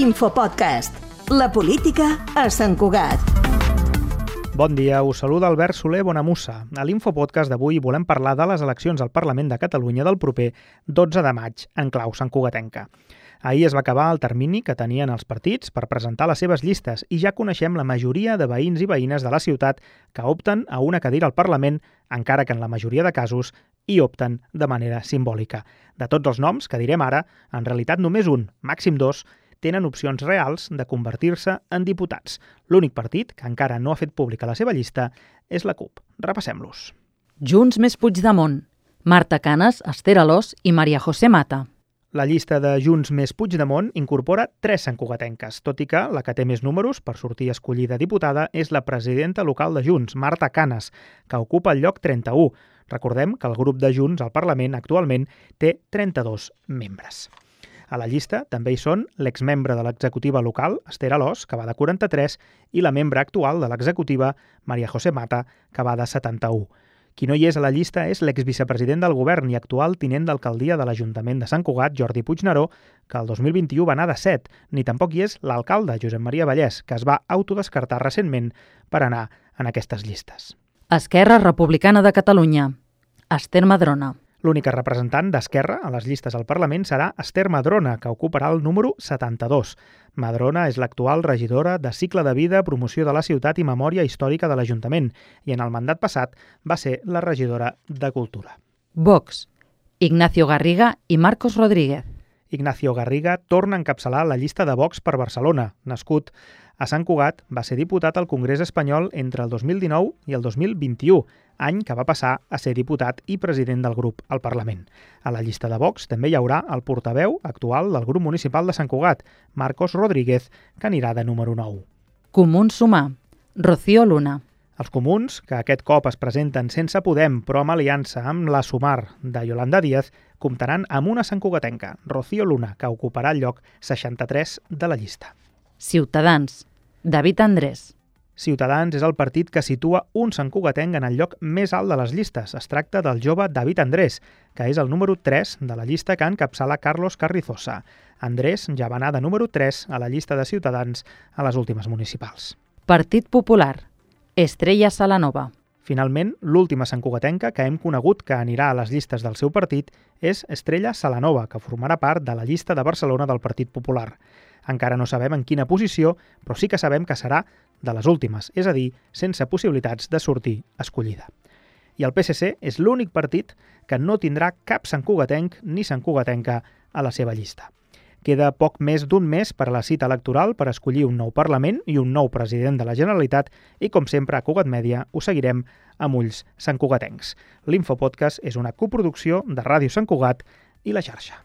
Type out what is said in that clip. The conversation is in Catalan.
Infopodcast. La política a Sant Cugat. Bon dia, us saluda Albert Soler Bonamussa. A l'Infopodcast d'avui volem parlar de les eleccions al Parlament de Catalunya del proper 12 de maig, en clau santcugatenca. Ahir es va acabar el termini que tenien els partits per presentar les seves llistes i ja coneixem la majoria de veïns i veïnes de la ciutat que opten a una cadira al Parlament, encara que en la majoria de casos hi opten de manera simbòlica. De tots els noms que direm ara, en realitat només un, màxim dos, tenen opcions reals de convertir-se en diputats. L'únic partit que encara no ha fet pública la seva llista és la CUP. Repassem-los. Junts més Puigdemont, Marta Canes, Esther Alòs i Maria José Mata. La llista de Junts més Puigdemont incorpora 3 santcugatenques, tot i que la que té més números per sortir escollida diputada és la presidenta local de Junts, Marta Canes, que ocupa el lloc 31. Recordem que el grup de Junts al Parlament actualment té 32 membres. A la llista també hi són l'exmembre de l'executiva local, Esther Alòs, que va de 43, i la membre actual de l'executiva, Maria José Mata, que va de 71. Qui no hi és a la llista és l'exvicepresident del govern i actual tinent d'alcaldia de l'Ajuntament de Sant Cugat, Jordi Puigneró, que el 2021 va anar de 7, ni tampoc hi és l'alcalde, Josep Maria Vallès, que es va autodescartar recentment per anar en aquestes llistes. Esquerra Republicana de Catalunya, Esther Madrona. L'única representant d'Esquerra a les llistes al Parlament serà Esther Madrona, que ocuparà el número 72. Madrona és l'actual regidora de Cicle de Vida, Promoció de la Ciutat i Memòria Històrica de l'Ajuntament i en el mandat passat va ser la regidora de Cultura. Vox, Ignacio Garriga i Marcos Rodríguez. Ignacio Garriga torna a encapçalar la llista de Vox per Barcelona. Nascut a Sant Cugat, va ser diputat al Congrés Espanyol entre el 2019 i el 2021, any que va passar a ser diputat i president del grup al Parlament. A la llista de Vox també hi haurà el portaveu actual del grup municipal de Sant Cugat, Marcos Rodríguez, que anirà de número 9. Comuns Sumar, Rocío Luna. Els comuns, que aquest cop es presenten sense Podem, però amb aliança amb la Sumar de Yolanda Díaz, comptaran amb una santcugatenca, Rocío Luna, que ocuparà el lloc 63 de la llista. Ciutadans, David Andrés. Ciutadans és el partit que situa un santcugatenc en el lloc més alt de les llistes. Es tracta del jove David Andrés, que és el número 3 de la llista que encapçala Carlos Carrizosa. Andrés ja va anar de número 3 a la llista de Ciutadans a les últimes municipals. Partit Popular, Estrella Salanova. Finalment, l'última santcugatenca que hem conegut que anirà a les llistes del seu partit és Estrella Salanova, que formarà part de la llista de Barcelona del Partit Popular. Encara no sabem en quina posició, però sí que sabem que serà de les últimes, és a dir, sense possibilitats de sortir escollida. I el PSC és l'únic partit que no tindrà cap santcugatenc ni santcugatenca a la seva llista. Queda poc més d'un mes per a la cita electoral per escollir un nou Parlament i un nou president de la Generalitat i, com sempre, a Cugat Mèdia ho seguirem amb ulls santcugatencs. L'Infopodcast és una coproducció de Ràdio Sant Cugat i La Xarxa.